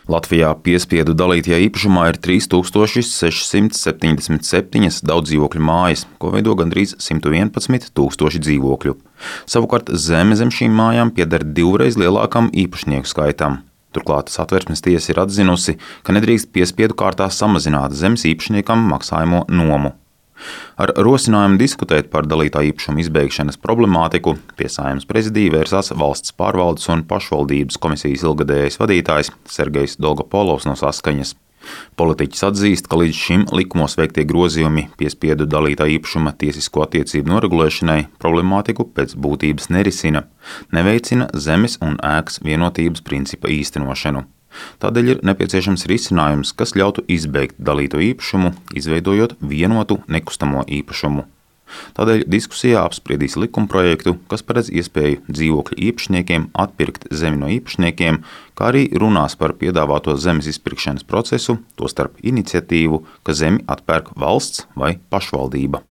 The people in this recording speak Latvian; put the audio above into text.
Latvijā piespiedu dalītajā īpašumā ir 3677 daudzdzīvokļu mājas, ko veido gandrīz 111 000 dzīvokļu. Savukārt zeme zem šīm mājām pieder divreiz lielākam īpašnieku skaitam. Turklāt Satversmes tiesa ir atzinusi, ka nedrīkst piespiedu kārtā samazināt zemes īpašniekam maksājamo nomu. Ar rosinājumu diskutēt par dalītā īpašuma izbeigšanas problemātiku pie Saeimas prezidija vērsās Valsts pārvaldes un pašvaldības komisijas ilgadējais vadītājs Sergejs Dolgopolovs no Saskaņas. Politiķis atzīst, ka līdz šim likumos veiktie grozījumi piespiedu dalītā īpašuma tiesisko attiecību noregulēšanai problemātiku pēc būtības nerisina, neveicina zemes un ēkas vienotības principa īstenošanu. Tādēļ ir nepieciešams risinājums, kas ļautu izbeigt dalīto īpašumu, izveidojot vienotu nekustamo īpašumu. Tādēļ diskusijā apspriedīs likumprojektu, kas paredz iespēju dzīvokļu īpašniekiem atpirkt zemi no īpašniekiem, kā arī runās par piedāvāto zemes izpirkšanas procesu, tostarp iniciatīvu, ka zemi atpērk valsts vai pašvaldība.